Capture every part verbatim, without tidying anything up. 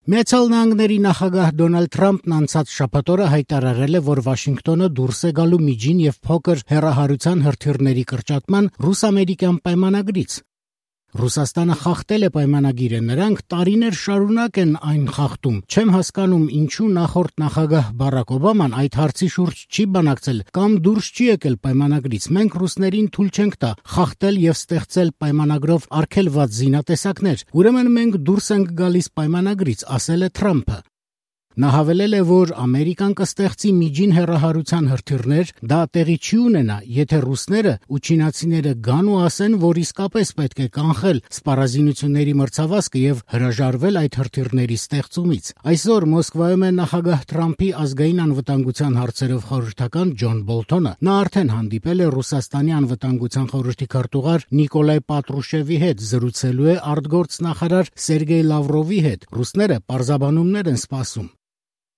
Միացյալ Նահանգների նախագահ Դոնալդ Թրամփն անցած շաբաթ օրը հայտարարել է, որ Վաշինգտոնը դուրս է գալու միջին եւ փոքր հեռահարության հրթիռների կրճատման ռուս-ամերիկյան պայմանագրից։ Ռուսաստանը խախտել է պայմանագիրը, նրանք տարիներ շարունակ են այն խախտում։ Չեմ հասկանում, ինչու նախորդ նախագահ Բարաք Օբաման այդ հարցի շուրջ չի բանակցել կամ դուրս չի եկել պայմանագրից։ Մենք ռուսներին թույլ չենք տա խախտել եւ ստեղծել պայմանագրով արգելված զինատեսակներ։ Ուրեմն մենք դուրս ենք գալիս պայմանագրից, ասել է Թրամփը։ Նա հավելել է, որ Ամերիկան կստեղծի միջին հեռահարության հրթիռներ, դա տեղի չի ունենա, եթե ռուսները ու չինացիները գան ու ասեն, որ իսկապես պետք է կանխել սպառազինությունների մրցավազքը եւ հրաժարվել այդ հրթիռների ստեղծումից։ Այսօր Մոսկվայում է նախագահ Թրամփի ազգային անվտանգության հարցերով խորհրդական Ջոն Բոլթոնը։ Նա արդեն հանդիպել է Ռուսաստանի անվտանգության խորհրդի քարտուղար Նիկոլայ Պատրուշևի հետ, զրուցելու է արտգործնախարար Սերգեյ Լավրովի հետ։ Ռուսները պարզաբանումներ են սպասում։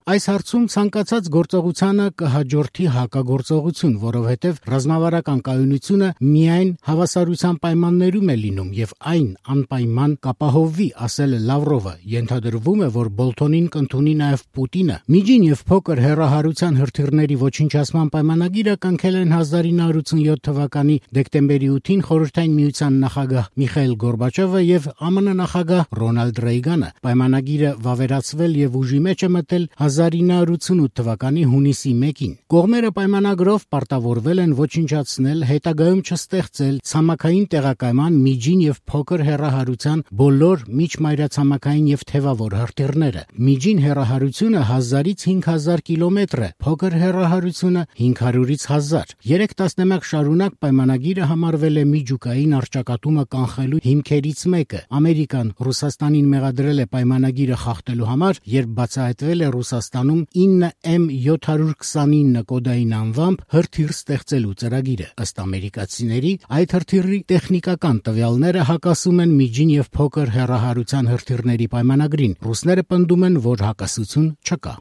Այս հարցում ցանկացած գործողությանը կհաջորդի հակագործողություն, որովհետև ռազմավարական կայունությունը միայն հավասարության պայմաններում է լինում եւ այն անպայման կապահովվի, ասել է Լավրովը։ Ենթադրվում է, որ Բոլթոնին կընդունի նաեւ Պուտինը։ Միջին եւ փոքր հեռահարության հրթիռների ոչնչացման պայմանագիրը կնքել են հազար ինը հարյուր ութսունյոթ թվականի դեկտեմբերի ութին Խորհրդային Միության նախագահ Միխայիլ Գորբաչովը եւ ԱՄՆ նախագահ Ռոնալդ Ռեյգանը։ Պայմանագիրը վավերացվել եւ ուժի մեջ է մտել հազար ինը հարյուր ութսունութ թվականի հունիսի մեկին։ Կողմերը պայմանագրով պարտավորվել են ոչնչացնել, հետագայում չստեղծել ցամաքային տեղակայման միջին եւ փոքր հեռահարության բոլոր միջմայրացամաքային եւ թևավոր հրթիռները։ Միջին հեռահարությունը հազարից հինգ հազար կիլոմետր է, փոքր հեռահարությունը հինգ հարյուրից հազար։ Երեք տասնամյակ շարունակ պայմանագիրը համարվել է միջուկային առճակատումը կանխելու հիմքերից մեկը։ Ամերիկան Ռուսաստանին մեղադրել է պայմանագիրը խախտելու համար, երբ բացահայտվել է Ռուսաստանում ինը էմ յոթ հարյուր քսանինը կոդային անվամբ հրթիռ ստեղծելու ծրագիրը։ Ըստ ամերիկացիների, այդ հրթիռի տեխնիկական տվյալները հակասում են միջին եւ փոքր հեռահարության հրթիռների պայմանագրին։ Ռուսները պնդում են, որ հակասություն չկա։